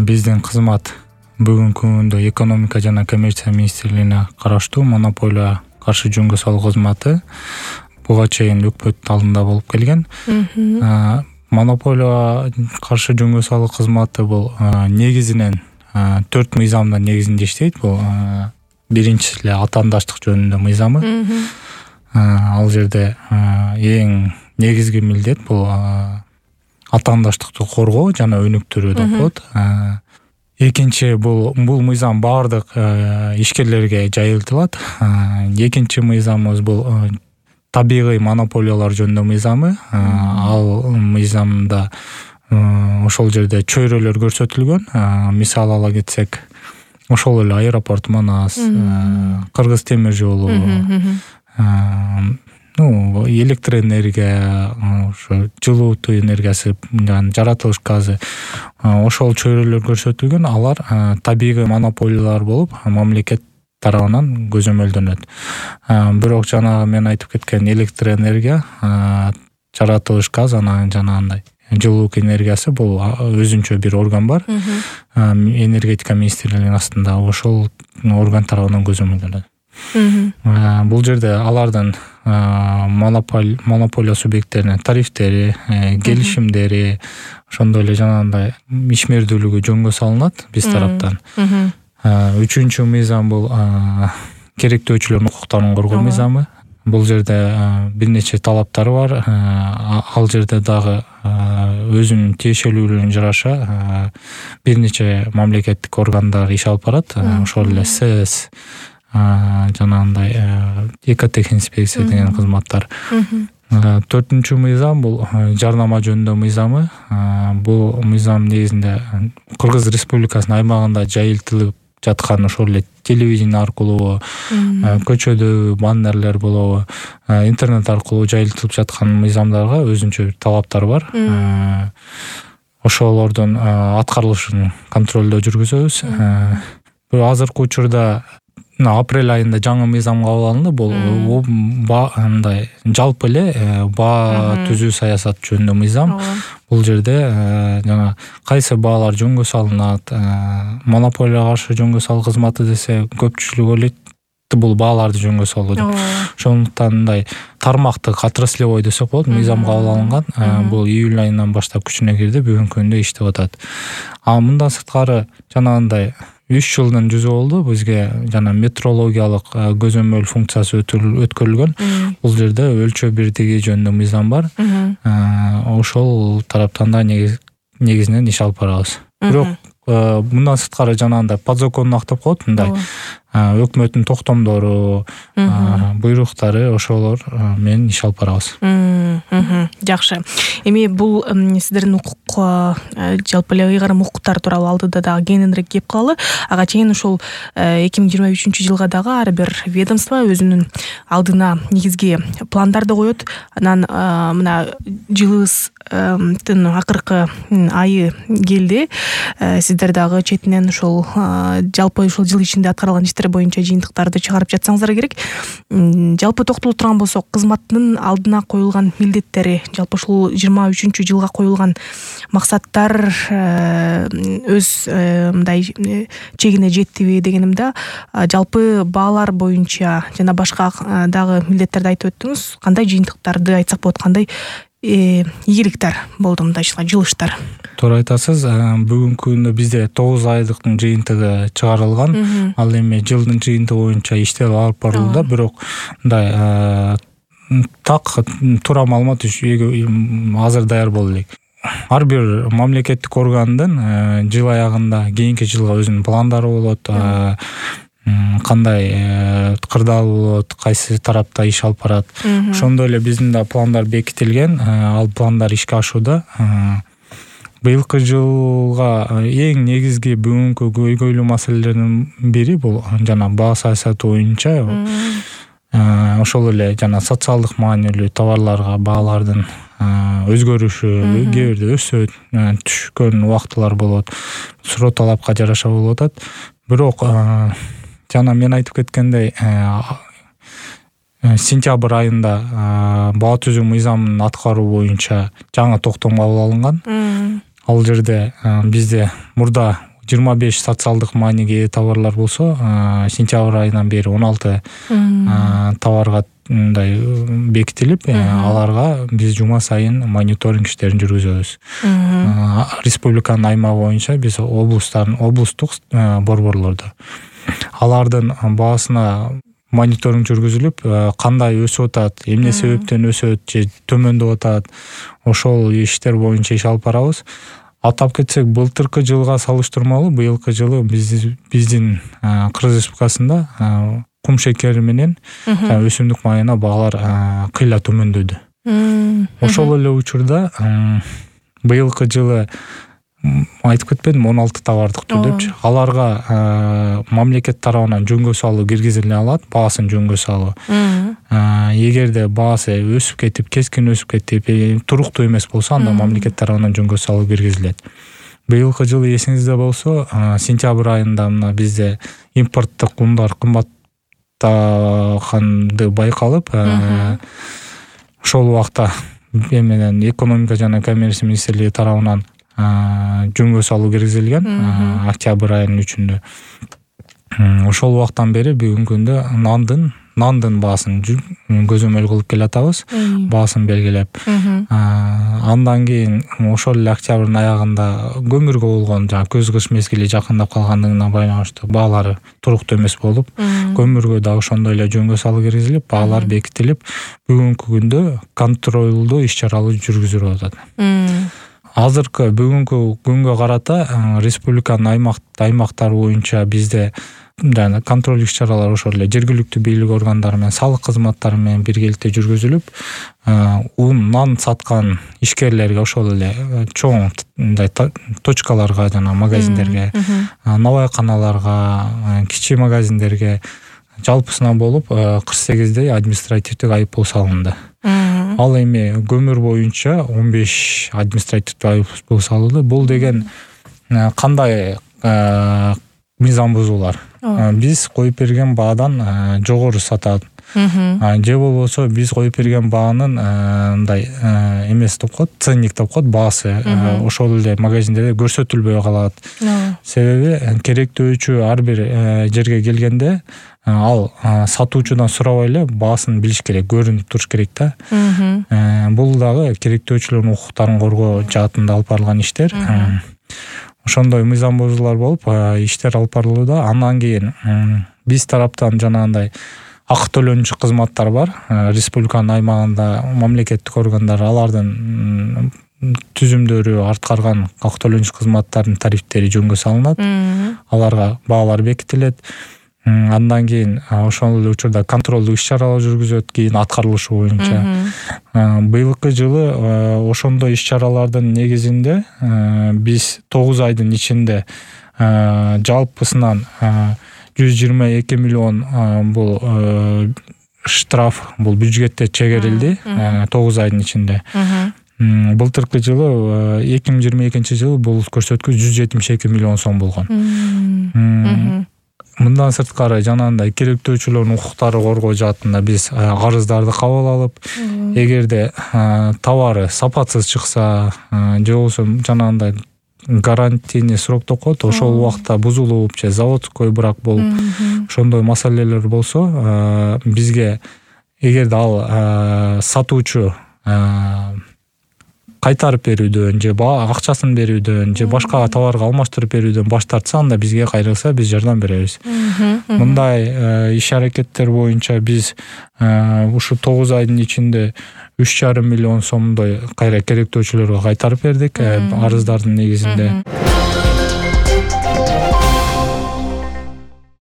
Биздин кызмат бүгүнкү күндө экономика жана коммерция министрлигине караштуу монополия каршы жөнгө салуу кызматы буга чейин өкмөт алдында болуп келген. Монополия каршы жөнгө салуу кызматы бул негизинен 4 мыйзамдын негизинде иштейт. Бул биринчиси эле атаандаштык жөнүндө мыйзамы. Ал жерде эң негизги милдет бул атаандаштыкты коргоо жана өнүктүрүү деп коет. Экинчи бул мыйзам баардык ишкерлерге жайылтылат. Экинчи мыйзамыбыз бул табигый монополиялар жөнүндө мыйзамы. Ал мыйзамда ошол жерде чөйрөлөр көрсөтүлгөн. Мисал ала кетсек, ошол эле аэропорт Манас, Кыргыз темир жолу, электроэнергия, ошо жылуутуу энергиясы, жаратылыш газы, ошол чөйрөлөр көрсөтүлгөн. Алар табигый монополиялар болуп, мамлекет тарабынан көзөмөлдөнөт. Бирок жанагы мен айтып кеткен электроэнергия, жаратылыш газ, анан жанагындай жылуулук энергиясы бул өзүнчө бир орган бар. Энергетика министрлигинин астында ошол орган тарабынан көзөмөлдөнөт. Бул жерде алардын монополия субъекттерине тарифтери, келишимдери, ошондой эле жанагындай ишмердүүлүгү жөнгө салынат биз тараптан. Үчүнчү мыйзам бул керектөөчүлөрдүн укуктарын коргоо мыйзамы. Бул жерде бир нече талаптары бар. Ал жерде дагы өзүнүн тиешелүүлүгүнө жараша бир нече мамлекеттик органдар иш алып барат. Ошол эле СС, жанагындай экотехинспекция деген кызматтар. Төртүнчү мыйзам бул жарнама жөнүндө мыйзамы. Бул мыйзам негизинде Кыргыз Республикасынын аймагында жайылтылып жаткан ошол эле телевидение аркылуу, көчөдө баннерлер болобу, интернет аркылуу жайылтылып жаткан мыйзамдарга өзүнчө талаптар бар. Ошолордун аткарылышын контролдоо жүргүзөбүз. Азыркы учурда апрель айында жаңы мыйзам кабыл алынды. Бул мындай жалпы эле баа түзүү саясат жөнүндө мыйзам. Бул жерде жана кайсы баалар жөнгө салынат, монополияга каршы жөнгө салуу кызматы десе көпчүлүк ойлойт бул бааларды жөнгө салуу деп. Ошондуктан мындай тармактык отраслевой десек болот, мыйзам кабыл алынган. Бул июль айынан баштап күчүнө кирди, бүгүнкү күндө иштеп атат. Мындан сырткары жанагындай 3 жылдын жүзү болду бизге жана метрологиялык көзөмөл функциясы өткөрүлгөн. Бул жерде өлчөө бирдиги жөнүндө мыйзам бар. Ошол тараптан да негизинен иш алып барабыз. Бирок мындан сырткары жанагындай подзаконно актап коет, мындай өкмөттүн токтомдору, буйруктары, ошолор менен иш алып барабыз. Жакшы. Эми бул сиздердин укук жалпы эле ыйгарым укуктар тууралуу алдыда дагы кеңинирээк кеп калалы. Ага чейин ошол 2023-жылга дагы ар бир ведомство өзүнүн алдына негизги пландарды коет. Анан мына жылыбыздын акыркы айы келди. Сиздер дагы четинен ошол жалпы ушул жыл ичинде аткарылган иштер боюнча жыйынтыктарды чыгарып жатсаңыздар керек. Жалпы токтоло турган болсок, кызматтын алдына коюлган милдеттери, жалпы ушул 23-жылга коюлган максаттар өз мындай чегине жеттиби дегенимде, жалпы баалар боюнча жана башка дагы милдеттерди айтып өттүңүз. Кандай жыйынтыктарды айтсак болот, кандай ийгиликтер болду мындайча жылыштар? Туура айтасыз. Бүгүнкү күндө бизде 9 айдыктын жыйынтыгы чыгарылган. Ал эми жылдын жыйынтыгы боюнча иштер алып барылууда. Бирок мындай туура маалымат азыр даяр боло элек. Ар бир мамлекеттик органдын жыл аягында кийинки жылга өзүнүн пландары болот. Кандай кырдаал болот, кайсы тарапта иш алып барат. Ошондой эле биздин да пландар бекитилген. Ал пландар ишке ашууда. Быйылкы жылга эң негизги бүгүнкү көйгөйлүү маселелердин бири бул жана баа саясаты боюнча ошол эле жана социалдык маанилүү товарларга баалардын өзгөрүшү, кээ бирде өсөт, түшкөн убактылар болот. Суроо талапка жараша болуп атат. Бирок жана мен айтып кеткендей, сентябрь айында баа түзүү мыйзамын аткаруу боюнча жаңы токтом кабыл алынган. Ал жерде бизде мурда 25 социалдык мааниге ээ товарлар болсо, сентябрь айынан бери 16 товарга мындай бекитилип, аларга биз жума сайын мониторинг иштерин жүргүзөбүз. Республиканын аймагы боюнча биз облустук борборлордо алардын баасына мониторинг жүргүзүлүп, кандай өсүп атат, эмне себептен өсөт же төмөндөп атат, ошол иштер боюнча иш алып барабыз. Атап кетсек, былтыркы жылга салыштырмалуу быйылкы жылы биздин Кыргыз Республикасында кум шекери менен өсүмдүк майына баалар кыйла төмөндөдү. Ошол эле учурда быйылкы жылы айтып кетпедим, 16 товардыктуу депчи. Аларга мамлекет тарабынан жөнгө салуу киргизиле алат, баасын жөнгө салуу. Эгерде баасы өсүп кетип, кескин өсүп кетип, туруктуу эмес болсо, анда мамлекет тарабынан жөнгө салуу киргизилет. Быйылкы жылы эсиңизде болсо, сентябрь айында мына бизде импорттук ундар кымбаттаганды байкалып, ошол убакта менен экономика жана коммерция министрлиги тарабынан жөнгө салуу киргизилген октябрь айынын 3-үндө. Ошол убактан бери бүгүнкү күндө нандын баасын көзөмөл кылып келатабыз, баасын белгилеп. Андан кийин ошол эле октябрдын аягында көмүргө болгон көз кыш мезгили жакындап калгандыгына байланыштуу баалары туруктуу эмес болуп, көмүргө да ошондой эле жөнгө салуу киргизилип, баалар бекитилип, бүгүнкү күндө контролдуу иш-чаралар жүргүзүлүп атат. Азыркы бүгүнкү күнгө карата республиканын аймактары боюнча бизде жана контроль иш-чаралар ошол эле жергиликтүү бийлик органдары менен, салык кызматтары менен биргеликте жүргүзүлүп, нан саткан ишкерлерге ошол эле чоң мындай точкаларга жана магазиндерге, навайканаларга, кичи магазиндерге жалпысынан болуп 48 административдик айыппул салынды. Ал эми көмүр боюнча 15 административдик айыппул салынды. Бул деген кандай мыйзам бузуулар? Биз коюп берген баадан жогору сатат. Же болбосо биз коюп берген баанын мындай эмес деп коет, ценник деп коет, баасы ошол эле магазиндерде көрсөтүлбөй калат. Себеби керектөөчү ар бир жерге келгенде ал сатуучудан сурабай эле баасын билиш керек, көрүнүп туруш керек да. Бул дагы керектөөчүлөрдүн укуктарын коргоо жаатында алып барылган иштер. Ошондой мыйзам бузуулар болуп, иштер алып барылууда. Андан кийин биз тараптан жанагындай акы төлөнчү кызматтар бар. Республиканын аймагында мамлекеттик органдар алардын түзүмдөрү аткарган акы төлөнчү кызматтардын тарифтери жөнгө салынат. Аларга баалар бекитилет. Андан кийин ошол эле учурда контролдуу иш-чаралар жүргүзөт, кийин аткарылышы боюнча. Быйылкы жылы ошондой иш-чаралардын негизинде биз 9 айдын ичинде жалпысынан 122 миллион бул штраф, бул бюджетте чегерилди 9 айдын ичинде. Былтыркы жылы 2022 бул көрсөткүч 172 миллион сом болгон. Мындан сырткары жанагындай керектөөчүлөрдүн укуктары коргоо жаатында биз арыздарды кабыл алып, эгерде товары сапатсыз чыкса, же болбосо жанагындай гарантийный срок деп коет, ошол убакта бузулуп же заводской брак болуп, ошондой маселелер болсо, бизге эгерде ал сатуучу кайтарып берүүдөн же акчасын берүүдөн же башка товарга алмаштырып берүүдөн баш тартса, анда бизге кайрылса биз жардам беребиз. Мындай иш-аракеттер боюнча биз ушу 9 айдын ичинде 3,5 миллион сомдой кайра керектөөчүлөргө кайтарып бердик арыздардын негизинде.